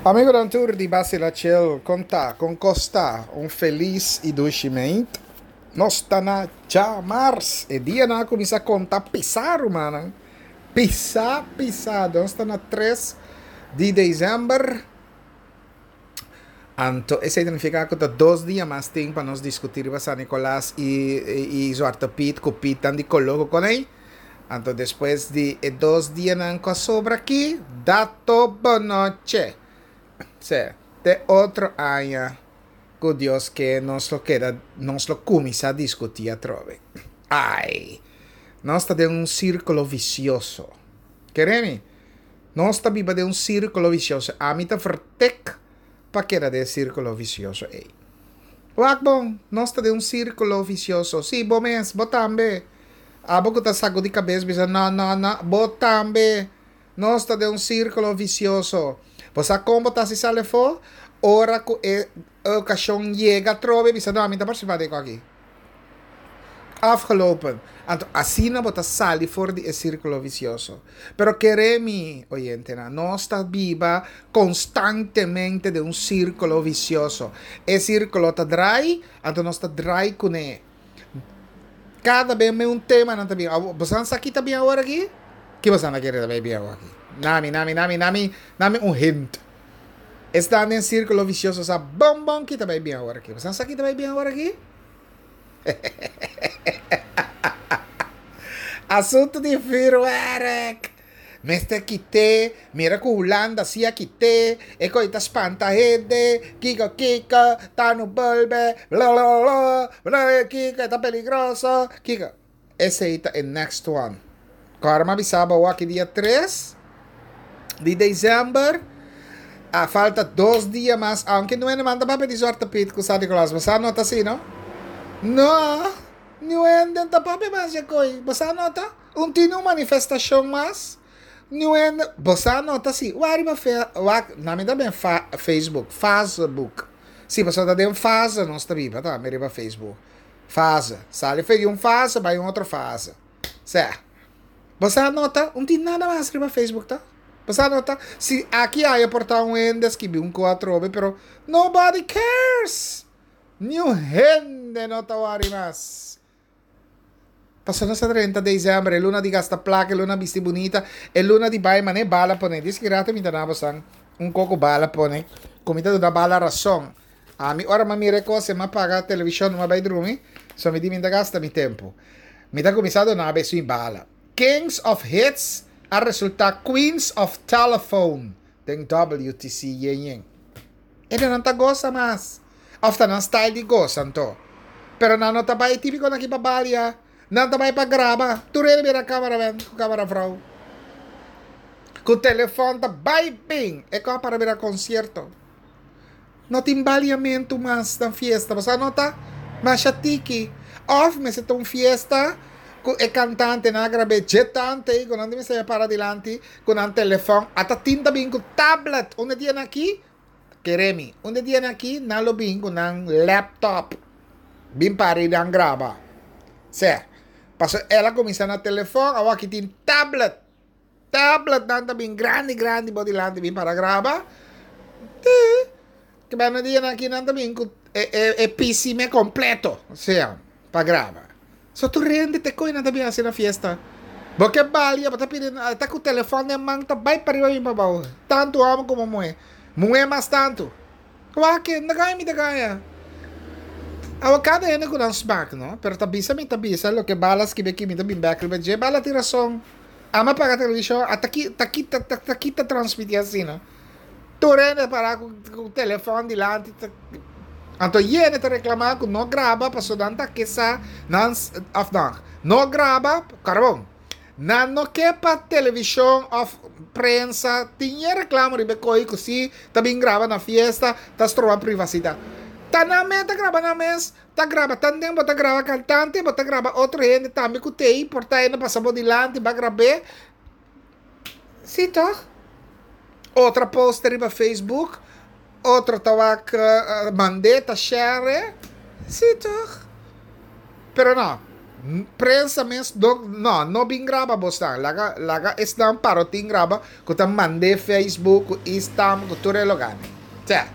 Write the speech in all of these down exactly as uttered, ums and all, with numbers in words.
Amigonan tur di Basila Chill, kon ta, kon kos ta? Un felis i dushi meint. Nos ta na djamars, e dianan a kuminsá konta pisá rumannan, pisá pisá. Nos ta na tres di desèmber, anto esei ta nifiká ku ta dos dia mas tin pa nos diskutí riba San Nikolas i i Zwarte Piet ku Pietnan di koló ku konei. Anto despues di e dos dianan ku a sobra aki, dato bonoche. Se, te otro aña ku Dios ke nos lo keda, nos lo kuminsá diskutí atrobe. Ai! Nos ta den un sírkulo visioso. Kere mi? Nos ta biba den un sírkulo visioso. Ami ta vertek pa keda den e sírkulo visioso ei. Wak bon, nos ta den un sírkulo visioso. Sí, bo mes, bo tambe. Abo ku ta sakudi kabes bisa no, no, no, bo tambe. Nos ta den un sírkulo visioso. Bo sa kon bo ta hasi sali afó? Ora ku e okashon yega atrobe bisa no, ami ta partisipá den aki. Afgelopen. Anto asina bo ta sali for di e sírkulo visioso. Pero kere mi, oyentenan, nos ta biba konstantemente den un sírkulo visioso. E sírkulo ta drai, anto nos ta drai kuné. Kada bes me un tema nan ta bin. Boso sa ki ta bin awor aki? Ki boso a kere ta bay bin awor aki? Nami, nami, nami, nami, nami un hint. Esnan den sírkulo visioso sa bon bon ki ta bay bin awor aki. Boso sa ki ta bay bin awor aki? Asuntu di vuurwerk. Mester kite, mira ku Hulanda si a kite, e koe ta spanta hende, kiko kiko, ta no bolbe, blablabla, kiko e ta peligroso, kiko. Esei ta e next one. Kòrda mi a bisa bo awor aki dia tres di december, a falta dos dia mas, aunke nuende man ta papia di Zwarte Piet ku San Nicolas, bo sa no ta asi no? No, nuende ta papia mas dje koi, bo sa no ta? Un tin un manifestashon mas, nuende, bo sa no ta asi, wak riba fe, wak, na mi ta ben fa, Facebook, Facebook, si pasobra ta den fase nos ta biba tambe riba Facebook, fase, sali for di un fase bai un otro fase, sè. Bo sa nota? Un tin nada mas riba Facebook ta? Bo sa nota? Si aki aya por ta un hende a skibi un ko atrobe pero nobody cares! Niun hende no ta wori mas. Pasobra nos a drenta december, e luna di gasta plaka, e luna bisti bunita, e luna di bai mane bala pone. Dies ki rato mi ta na bosan un ko ku bala pone, ku mi ta duna bala rason. Ami ora mi a mira e kos e mi a paga televishon mi a bai drumi, so mi di mi ta gasta mi tempu. Mi ta kuminsá duna besu i bala. Kings of Hits a resultá Queens of Telephone den W T C yen yen. E nan ta gosa mas. Of ta nan style di gosa anto. Pero nan no ta bai típiko nan ki pa balia. Nan ta bai pa graba. Tur hende bira cameraman ku cameravrouw. Ku telefòn ta bai bin. E kò para bira konsierto. No tin baliamentu mas na fiesta, pasobra no ta masha tiki. Òf mester ta un fiesta ku e kantantenan a grab'é dje tante ei ku nan ta mester para dilanti ku nan telefòn. Ata tin ta bin ku tablet. Unda dianan aki, kere mi, unda dianan aki nan lo bin ku nan laptop bin para i nan graba. Sè, pasobra el a kuminsá na telefòn, awor aki tin tablet. Tabletnan ta bin grandi grandi bo dilanti bin para graba. Te banda dianan aki nan ta bin ku e e e P C me kompleto, osea, pa graba. So tur hende te koe nan ta bin hasi na fiesta. Bo ke balia, bo ta pidi, ta ku telefòn den man ta bai pariba bin pabou. Tantu hòmber komo muhé. Muhé mas tantu. Wak, no gaña mi ta gaña. Awa kada hende ku nan smak no, pero ta bisa mi ta bisa loke Bala skibi aki mi ta bin bek riba dje, Bala tin rason. Ama paga televishon a ta ki ta ki ta ta ki ta transmiti asina. Tur hende para ku ku telefòn dilanti ta anto yende ta reklama ku no graba pasobra nan ta ke sa nan òf no no graba karbon. Nan no ke pa televishon òf prensa tin e reklamo riba e koi ku si ta bin graba na fiesta ta stroba privasidat. Ta nan mes ta graba nan mes, ta graba tanten bo ta graba kantante, bo ta graba otro hende tambe ku t'ei por ta hende pasa bo dilanti bo a grab'é. Si tòg? Otro a posta riba Facebook, otro ta wak mand'é ta share. Si tòg? Pero no. Prensa mes no, no, no bin graba bosnan. Laga, laga esnan parotin graba ku ta mand'é Facebook, ku Instagram, ku tur e lugá. Tja,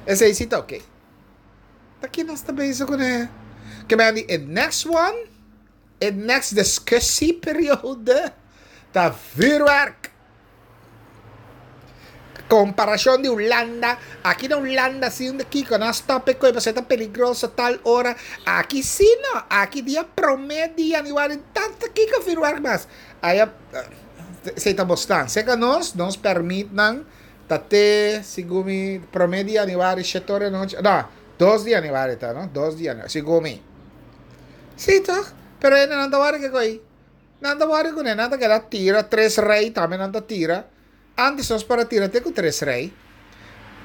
esei sí ta oké. Ta ki nos ta bezig kuné? Ke men di e next one, e next discussieperiode, ta vuurwerk. Komparashon di Hulanda, aki na Hulanda si un kiko nan stop e koi pasobra ta peligroso tal ora, aki si no, aki dia prome di januari tanta kiko vuurwerk mas. Aya esei ta bosnan, seka nos, nos permit nan ta te segun mi prome di januari shete ora anochi, no, dos di januari ta no, dos di januari, segun mi. Si toch, pero hende nan ta wòrdu ke koi, nan ta wòrdu kuné, nan ta keda tira tres rei tambe nan ta tira. Antes nos por a tira te ku tres rei.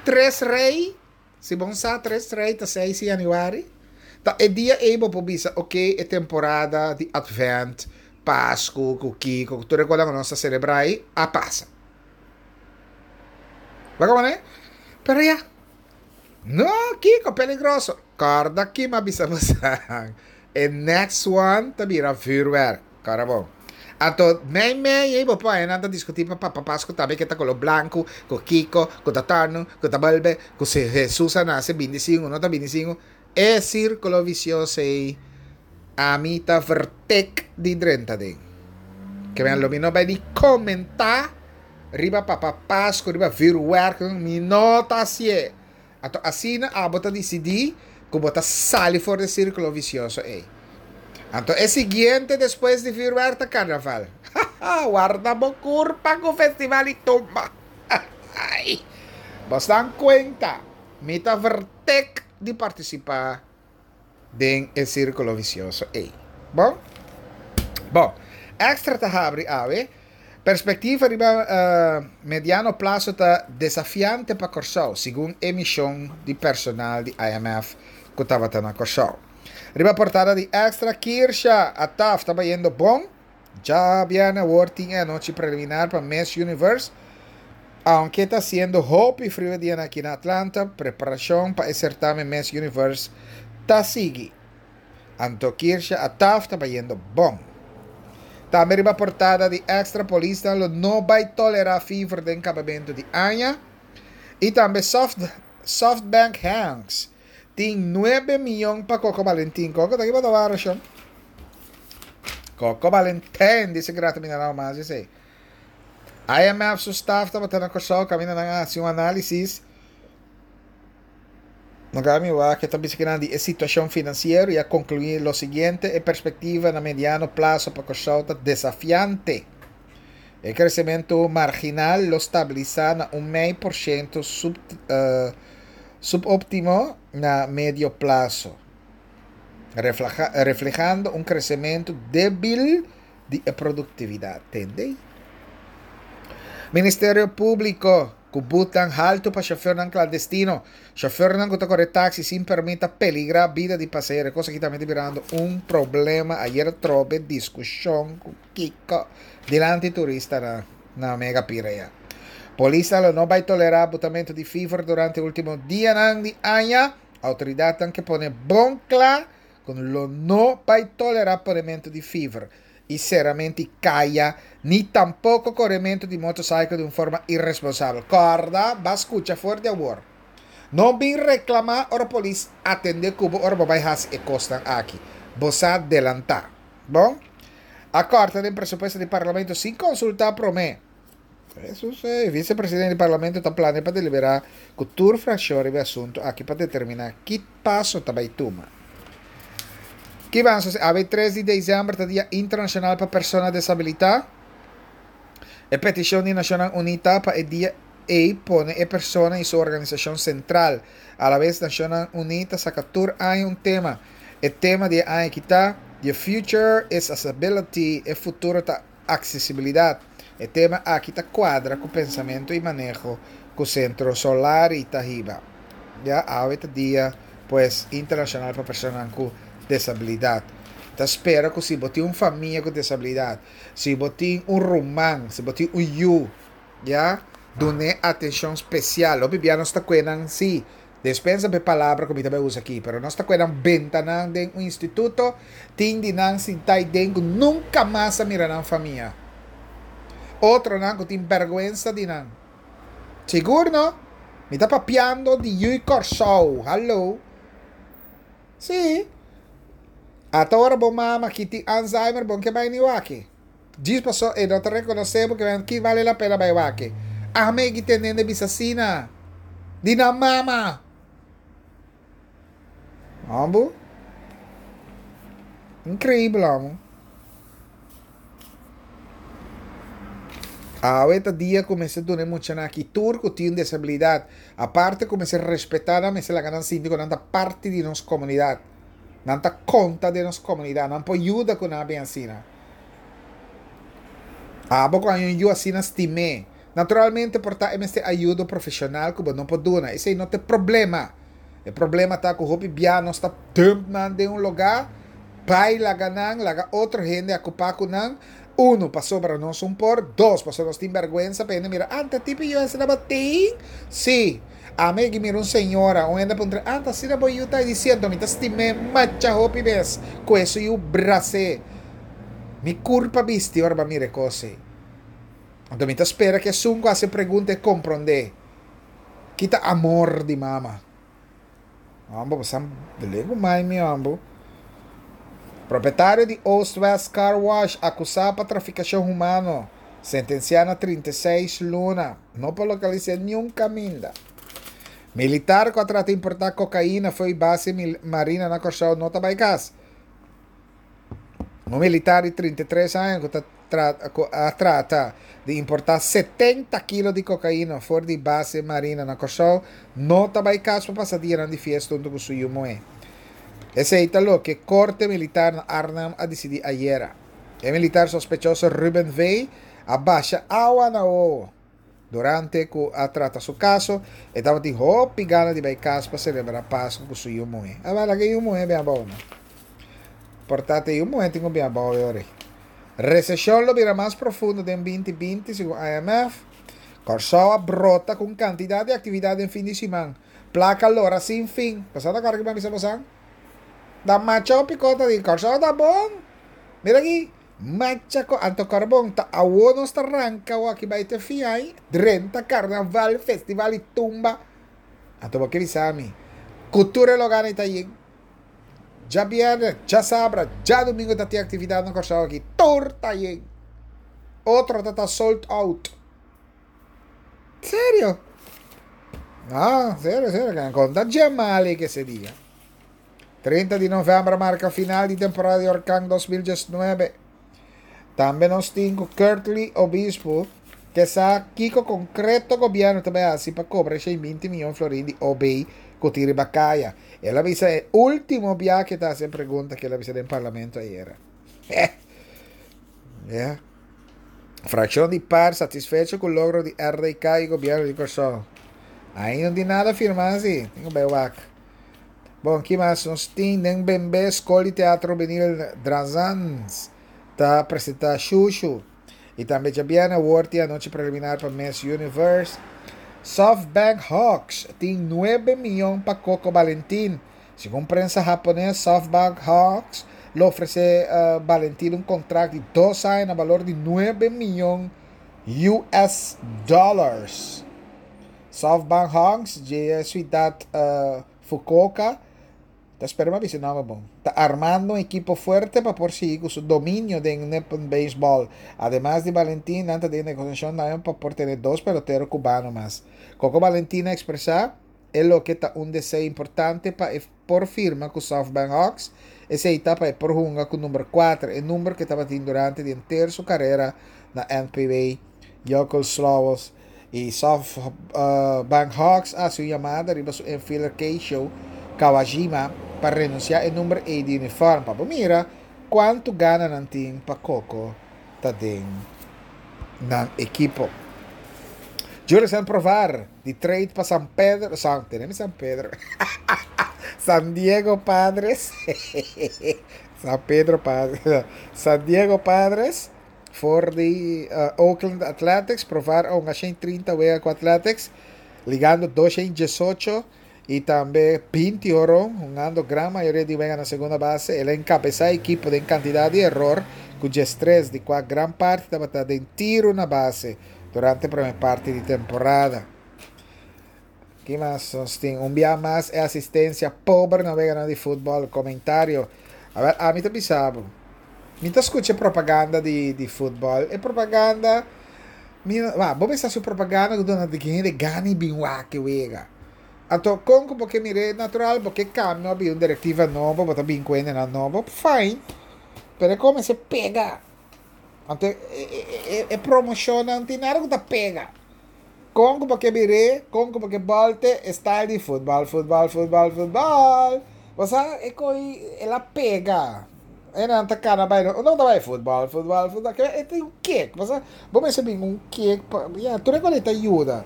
Tres rei, si bon sa tres rei ta seis di januari. Ta e dia ei bo por bisa ok e temporada di advent, pasku, ku kiko, ku tur e konan ku nos ta selebrá ei a pasa. Bo a komprendé? Pero ya, no kiko peligroso. Kòrda ki mi a bisa bo sa. E next one ta bira vuurwerk. Kòrda bon. Anto mei mei ei bo por haña nan ta diskutí pa Papa Pasku tambe ke ta koló blanku, ku kiko, ku ta tòrnu, ku ta bolbe, ku si Hesus a nase bini sin o no ta bini sin. E sírkulo visioso ei ami ta vertek di drenta den. Ke men lo mi no bai di komentá riba Papa Pasku, riba vuurwerk, mi no ta hasié. Anto asina abo ta disidí ku bo ta sali for di e sírkulo visioso ei. Anto e siguiente despues di vuurwerk ta karnaval. Haha, warda bo kurpa ku festival di tumba. Ai! Bos dan kuenta, mi ta vertek di partisipá den e sírkulo visioso ei. Bon? Bon, Extra ta habri awe. Perspektiva riba mediano plaso ta desafiante pa Kòrsou, segun e mishon di personal di I M F ku tabata na Kòrsou. Riba portada di Extra, Kirsha Attaf ta bayendo bon. Djabièrnè awor tin e anochi preliminar pa Miss Universe. Aunke ta hasiendo hopi friu e dianan aki na Atlanta, preparashon pa e sertamen Miss Universe ta sigui. Anto Kirsha Attaf ta bayendo bon. Tambe riba portada di Extra, polisnan lo no bai tolerá fever den kabamentu di aña. I tambe Soft Softbank Hanks tin nuebe mion pa Coco Valentin. Coco ta ki bo ta wara shon? Coco Valentin dice grato mi na mas esei. I M F su staff tabata na Kòrsou kaminda nan a hasi un análisis. Nan mi wak ta bisa kinan di e situashon finansiero i a konkluí lo siguiente: e perspektiva na mediano plaso pa Kòrsou ta desafiante. E kresementu marginal lo stabilisá na un mei por shento sub, uh, subóptimo na medio plaso, refleja, reflehando un kresementu débil di produktividat. Tende? Ministerio Públiko ku butnan haltu pa shofèrnan klandestino. Shofèrnan ku ta kore taksi sin pèrmit ta peligrá bida di pasahero. Kos aki tambe ta birando un problema. Ayera trobe diskushon ku kiko dilanti turista na, na Mega Pirea. Polis lo no bai tolerá butamentu di fever durante último dianan di aña. Outoridatnan ke pone bon kla ku lo no bai tolerá ponementu di fever i seramentu di kaya, ni tampoko korementu di motosaikel di un forma iresponsabel. Kòrda, bo a skucha for di awor. No bin reklamá ora polis atendé ku bo ora bo bai hasi e kosnan aki. Bo sa delantá. Bon? A kòrta den presupuesto di parlamento sin konsultá promé. Eso eh, visepresidente di parlamento ta plania pa deliberá ku tur frakshon riba e asuntu aki pa determiná ki paso ta bai tuma. Ki avanso, awe tres di desèmber ta Dia Internashonal pa Persona Desabilitá. E petishon di Nashonnan Uní ta pa e dia ei pone e persona i su organisashon sentral. A la bes Nashonnan Uní ta saka tur aña un tema. E tema di e aña aki ta "The Future is Accessibility", e futuro ta aksesibilidat. E tema aki ta kuadra ku pensamentu i maneho ku Sentro Solari ta hiba. Ya, awe ta Dia pues Internashonal pa Persona ku Desabilidat. Ta spera ku si bo tin un famia ku desabilidat, si bo tin un ruman, si bo tin un yu, ya, dun'é atenshon spesial. Hopi bia nos ta kuenan si Despensa pa e palabra ku mi ta bai usa aki, pero nos ta kue nan benta nan den un instituto, tin di nan sinta aiden ku nunka mas a mira nan famia. Otronan ku tin bèrgwensa di nan. Sigur no? Mi ta papiando di Yui Kòrsou, hallo. Sí. Ata ora bo mama ki tin Alzheimer bon ke bai ni wak. Djis paso e no ta rekonosé bo ke men ki bale la pena bai wak. Ame ki tendende bisa asina. Di nan mama. Hombo. Increíble, amo. Awe ta dia ku mester duna e muchanan aki tur ku tin un desabilidat. Aparte ku mester respetá nan, mester laga nan sinti ku nan ta parti di nos komunidat. Nan ta konta den nos komunidat. Nan por yuda ku nan a bin asina. Abo ku haña un yu asina stim'é. Naturalmente por ta e mester ayudo profeshonal ku bo no por duna. Esei no ta e problema. E problema ta ku hopi bia nos ta dump nan den un lugá, bai laga nan, laga otro hende akupá ku nan. Uno, pasobra nos un por. Dos, pasobra nos tin bèrgwensa pa hende mira, Anta tipo yu asina bo tin? Sí. Ami a yega mira un señora, un hende a puntra, Anta asina bo yu ta? I di, Siento, mi ta stim'é macha hopi bes ku esun yu bras'é. Mi kurpa bisti ora bo a mira e kos ei. Anto mi ta spera ku esun ku hasi e pregunta e komprondé ki ta amor di mama. Hombo bo sa bele ku mai mi hombo. Propietario di Oost West Car Wash akusá pa trafikashon humano, sentensiá na trinta i seis luna. No por lokalis'é niun kaminda. Militar ku a trata importá kokaina fo'i base marina na Kòrsou no ta bai kas. Un militar di trinta i tres aña ku ta ku a trata di importá setenta kilo di kokaina for di base marina na Kòrsou no ta bai kas pa pasa dianan di fiesta huntu ku su yu muhé. Esei ta loke Korte Militar na Arnhem a disidí ayera. E militar sospechoso Ruben V. a basha awa na wowo. Durante ku a trata su kaso, e tabatin hopi gana di bai kas pa selebrá Pasku ku su yu muhé. A bai laga e yu muhé bin abou no. Por ta te yu muhé tin ku bin abou e ora ei. Reseshon lo bira mas profundo den binti binti, segun I M F. Kòrsou a brota ku un kantidat di aktividat den fin di siman. Plaka lora sin fin. Pasá ta kòrda ki mi a bisa bosan? Ta macha hopi kos ta di Kòrsou ta bon. Mira aki. Macha ko anto karbon ta awo nos ta ranka awo aki bai te fiai drenta karnaval festival di tumba anto bo ke bisa mi ku tur e loga nei ta yin djabierne djasabra djadumingo ta tin aktividat na Kòrsou aki tur ta yin otro ta ta sold out serio no serio serio konta djemali kese dia. Trinta di novèmber a marka final di temporada di orkan dos mil diesnuebe. Tambe nos tin ku Curtly Obispo ke sa kiko konkreto gobièrnu ta bai hasi pa kobra e shen binti miyon florin di O B ku tin riba kaya. El a bisa e último bia ke ta hasi e pregunta ke el a bisa den parlamento ayera. Ya. Frakshon di par satisfecho ku logro di R D K i gobièrnu di Kòrsou. Ainda no tin nada firmá si. Tin ku bai wak. Bon, ki mas nos tin? Den Bembe, Skol di Teatro Benil Drazans ta presentá Shushu. I tambe djabièrnè awor tin anochi preliminar pa Miss Universe. SoftBank Hawks tin nuebe miyon pa Coco Valentin. Segun prensa hapones, SoftBank Hawks lo ofresé Valentin un kontrakt di dos aña na balor di nuebe miyon U S dollars. SoftBank Hawks dje e siudat Fukuoka ta spera mi a bisa e nòmber bon, ta armando un ekipo fuerte pa por sigui ku su dominio den Nippon Baseball. Ademas di Valentin, nan ta den negosiashon tambe pa por tene dos pelotero kubano mas. Coco Valentin a ekspresá e loke ta un deseo importante pa e por firma ku SoftBank Hawks, esei ta pa e por hunga ku number kuater, e number ku e tabatin durante di henter su karera na N P B. Jökulsárlón i SoftBank Hawks a hasi un yamada riba su infielder Keisho Kawajima pa renunsiá e number ei di uniform pa bo mira kuantu gana nan tin pa Coco ta den nan ekipo. Jurison Provar di trade pa San Pedro, San, tene mi San Pedro, San Diego Padres, San Pedro Padres, San Diego Padres, for di Oakland Athletics, Provar a hunga shen trinta wega ku Athletics, ligando dos shen diesocho I tambe binti horon, hungando gran mayoria di wega na segunda base. El a enkabesá e ekipo den kantidat di eror ku diestres, di kua gran parti tabata den tiru na base durante promé parti di temporada. Ki mas nos tin? Un bia mas e asistensia pober na weganan di futbòl. Komentario. Awèl, ami ta bisa bo, mi ta skucha e propaganda di di futbòl. E propaganda, mi, wak, bo mester hasi un propaganda ku duna di hende gana i bin wak e wega. Anto, kon ku bo ke mir'é natural, bo ke kambia, bo bin un direktiva nobo, bo ta bin ku hendenan nobo, fine, pero e kon mester pega. Anto e e e promoshonnan tin nada ku ta pega. Kon ku bo ke bir'é, kon ku bo ke bòlte, e style di futbòl, futbòl, futbòl, futbòl. Bo sa e koi el a pega. Hendenan ta kana bai, unda bo ta bai? Futbòl, futbòl, futbòl. Kibera e tin un kek. Bo sa, bo mester bin un kek pa, ya, tur e kos ei ta yuda.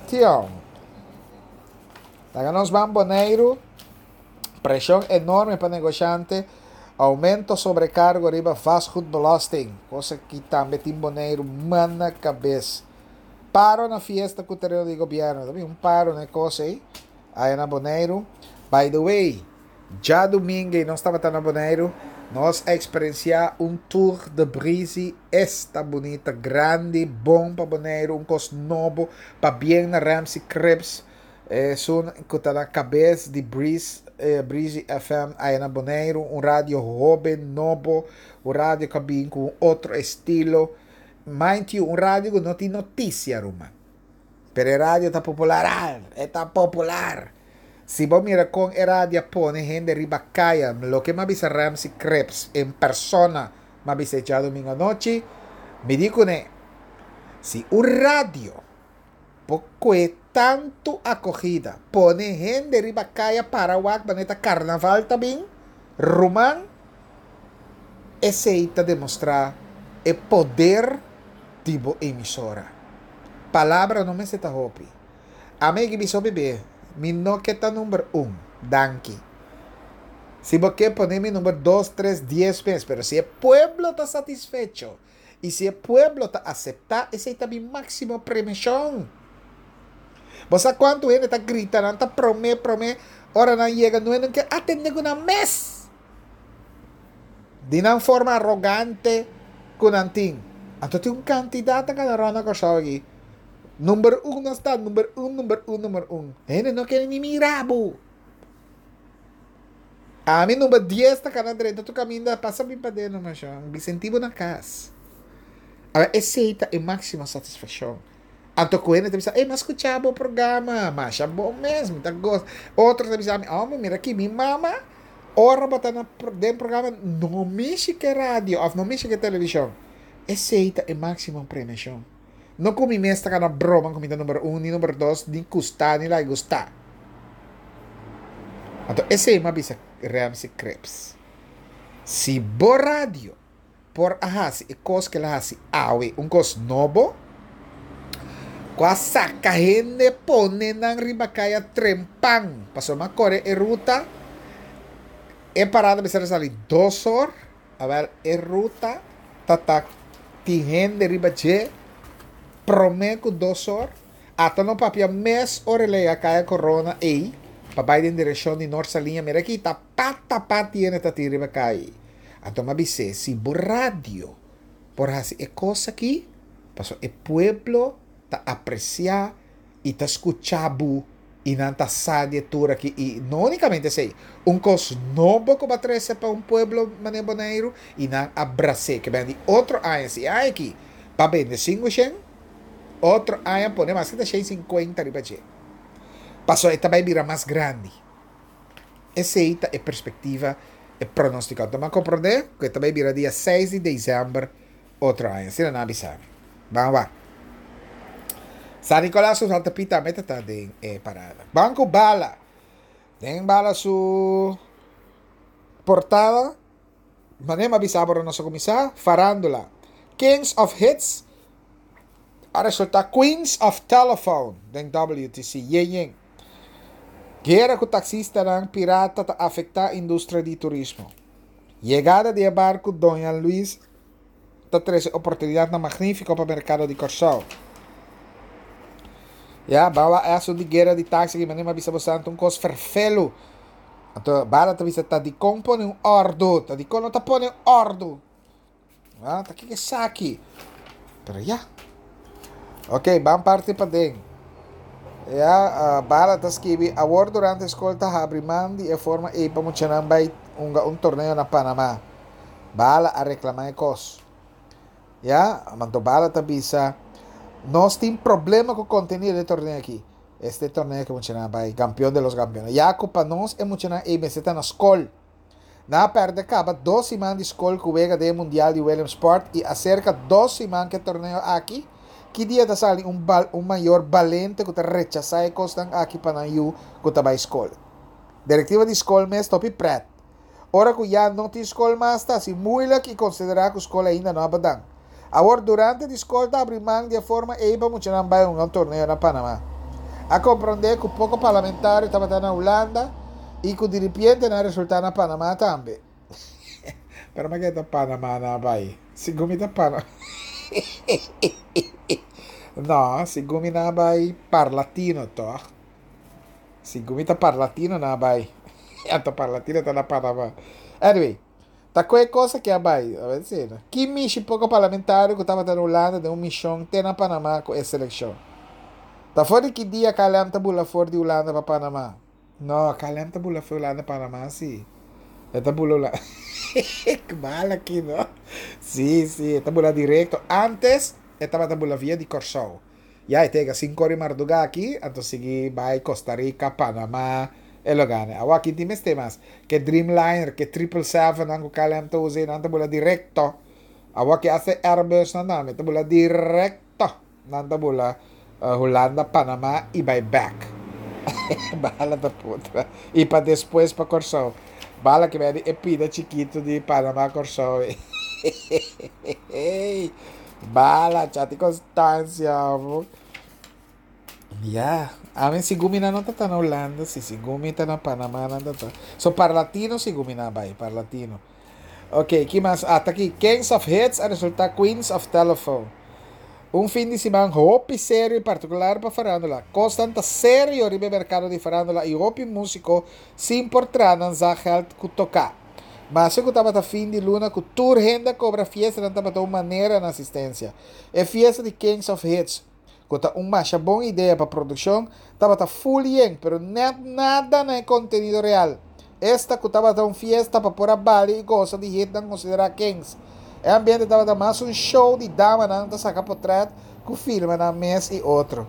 Tion. Laga nos ban Boneiru. Preshon enorme pa negoshante, oumento sobrekargo riba vastgoedbelasting, kosa ki tambe tin Boneiru man na kabes. Paro na fiesta ku tereno di gobièrnu, ta bin un paro na e kos ei aya na Boneiru. By the way, djadumingu ei nos tabata na Boneiru, nos a eksperensiá un Tour de Breezy esta bunita, grandi, bon pa Boneiru, un kos nobo, pabien na Ramsey Cripps, Esun ku ta na kabes di Breeze, Breezy F M aya na Boneiru, un radio hoben, nobo, un radio ku a bin ku un otro estilo. Mind you, un radio ku no tin notisia, ruman. Pero e radio ta popular, al, e ta popular. Si bo mira kon e radio a pone hende riba kaya, loke mi a bisa Ramsey Cripps en persona, mi a bisa e djadumingu anochi, mi di kuné, si un radio Bo kue tantu akogida, pone hende riba kaya para wak manera ta karnaval ta bin, ruman, esei ta demostrá e poder di bo emisora. Palabra no mester ta hopi. Ami a bisa hopi be, mi no ke ta number un, danki. Si bo ke pone mi number dos, tres, dies mes, pero si e pueblo ta satisfecho, I si e pueblo ta aseptá, esei ta mi máksimo premishon. Bo sa kuantu hende ta grita, nan ta promé, promé, ora nan yega, no hende ke atendé ku nan mes. Di nan forma arogante ku nan tin. Anto tin un kantidat ta kana rònt na Kòrsou aki. Number un nos ta, number un, number un, number un. Hende no kere ni mira bo. Ami number dies ta kana drenta tur kaminda pasa bin paden no mashon bi sinti bo na kas. Awor esei ta e máksimo satisfakshon. Anto ku hende ta bisa, ey mi a skucha bo programa, masha bon mes, mi ta gosa. Otro ta bisa mi, homber mira aki mi mama ora bo ta na den programa no mishi ke radio òf no mishi ke televishon. Esei ta e máksimo premiashon. No ku mi mes ta kana broma ku mi ta number un ni number dos ni gusta ni laga gusta. Anto esei mi a bisa Ramsey Cripps, Si bo radio por a hasi e kos ku el a hasi awe, un kos nobo, ku a saka hende pone nan riba kaya trempan, pasobra mi a kore e ruta, e parada mester a sali dos or, awel e ruta ta ta tin hende riba dje prome ku dos or, Ata no papia mes ora el a yega Kaya Corona ei pa bai den direkshon di Nort Saliña mira aki ta pat tapa tiene ta tin riba kaya ei. Anto mi a bis'é si bo radio por hasi e kos aki pasobra e pueblo ta apresiá i ta skuchá bo i nan ta sa di e tur aki i no únikamente esei un kos nobo ku bo a trese pa un pueblo manera Boneiru i nan a bras'é ke bende otro aña si e aña aki pa bende sinku shen Otro aña pone mas ki ta shen sinkuenta riba dje. Pasobra e ta bai bira mas grandi. Esei ta e perspektiva, e pronóstiko. Anto mi a komprondé ku e ta bai bira dia seis di desèmber otro aña. Asina nan a bisa mi. Ban wak. San Nicolas su Santa Pi tambe ta ta den e parada. Ban ku bala. Den bala su portada. Manera mi a bisa bo ora nos a kuminsá, farándula. Kings of Hits a resultá Queens of Telephone den W T C. Yen yen. Guera ku taksistanan pirata ta afektá industria di turismo. Yegada di e barku Doña Luis ta trese oportunidatnan magnífiko pa merkado di Kòrsou. Ya, bawa aso di guera di taxi ki mane mabisa bosnan un kos ferfelu. Anto Bala ta bisa ta dikon pone un òrdu, ta dikon no ta pone òrdu. Ah, ta kiko esaki? Pero ya. Ok, ban parti paden. Ya, uh, Bala ta skibi, awor durante skol ta habri man di e forma ei pa muchanan bai hunga un torneo na Panama. Bala a reklamá e kos. Ya, anto Bala ta bisa, nos tin problema ku kontenido di e torneo aki. Este torneo ku muchanan bai, campeón de los campeones. Ya ku pa nos e muchanan ei mester ta na skol. Nan a pèrdè kaba dos siman di skol ku wega den Mundial di Williamsport i aserka dos siman ku e torneo aki. Ki dia ta sali un bal un mayor balente ku ta rechasá e kosnan aki pa nan yu ku ta bai skol? Direktiva di skol mes ta hopi prèt. Ora ku ya no tin skol mas ta hasi muilik i konsiderá ku skol ainda no a badan. Awor durante di skol ta abri man di e forma ei pa muchanan bai hunga un torneo na Panama. A komprondé ku poko parlamentario tabata na Hulanda i ku diripiente nan a resultá na Panama tambe. Pero ma ke ta Panama nan a bai? Segun mi ta Panama. No, segun mi nan a bai Parlatino tòg? Segun mi ta Parlatino nan a bai. Anto Parlatino ta na Panama. Anyway. Ta ku e kos aki a bai? A ber si no. Ki mishi poko parlamentario ku tabata na Hulanda den un mishon te na Panama ku e selekshon? Ta for di ki dia K L M ta bula for di Hulanda pa Panama? No, K L M ta bula for Hulanda Panama si. E ta bula Hulanda. Kbal aki no. Si, si, e ta bula direkto. Antes e tabata bula via di Kòrsou. Ya e tega sinku ora i mardugá aki, anto sigui bai Costa Rica, Panama, e lo gana. Awor aki tin mester mas. Ke Dreamliner, ke Triple Seven nan ku K L M ta usa ei, nan ta bula direkto. Awor aki hasta e Airbus nan tambe ta bula direkto. Nan ta bula Hulanda, Panama i bai bèk. Bala ta putra. I pa despues pa Kòrsou. Bala ke bèdi e pida chikitu di Panama Kòrsou ei. Bala, chati Constancia. Ya, ami sigun mi nan no ta ta na Hulanda, si sigun mi ta na Panama nan ta ta. So Parlatino sigun mi nan a bai, Parlatino. Ok, ki mas? Ah, ta aki, Kings of Hits a resulta Queens of Telephone. Un fin di siman hopi serio y particular pa farándula. Cosnan ta serio riba e mercado di farándula y hopi musico sin por traha nan zakgeld cu toca. Maske ku tabata fin di luna ku tur hende a kobra fiestanan tabata un manera na asistensia. E fiesta di Kings of Hits, ku ta un masha bon idea pa produkshon, tabata ful yen, pero nèt nada na e kontenido real. Esta ku tabata un fiesta pa por a bali i gosa di hitnan konsiderá kings. E ambiente tabata mas un show di damanan ta saka potrèt ku filma nan mes i otro.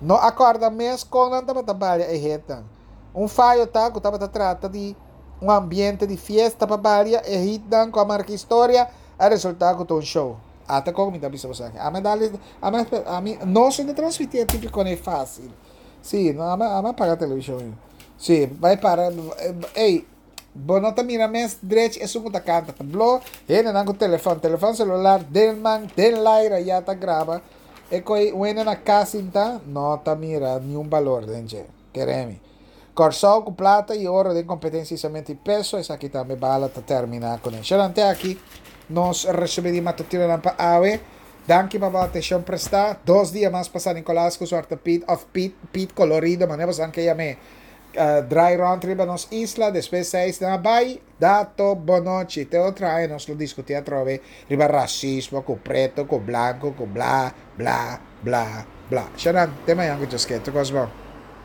No a kòrda mes kon nan tabata balia e hitnan. Un fayo ta ku tabata trata di un ambiente di fiesta pa balia e hitnan ku a marka historia a resultá ku ta un show. Ata kon mi ta bisa boso aki. Ami a dal ami ami nos no ta transmití e típiko nei fásil. Sí, no ami ami a paga televishon. Sí, bai para ey bo no ta mira mes drechi esun ku ta kanta. Ta blo hendenan ku telefòn, telefòn selular den man, den laira ya ta graba e koi un hende na kas sinta no ta mira niun balor den dje. Kere mi. Kòrsou ku plata i oro den kompetensia isamentu i peso, esaki tambe bala ta terminá kuné. Shalante aki nos resumí di matutinonan pa awe. Danki pa bo atenshon prestá. Dos dia mas pa San Nicolas ku suerte Piet òf Piet, Piet Colorido, manera boso ke yam'é, drai rònt riba nos isla. Despues seis nan a bai. Dato bonochi. Te otro aña nos lo diskutí atrobe riba rasismo ku preto, ku blanku, ku bla, bla, bla, bla. Shanan, te mañan ku Dios ke. Tur kos bon.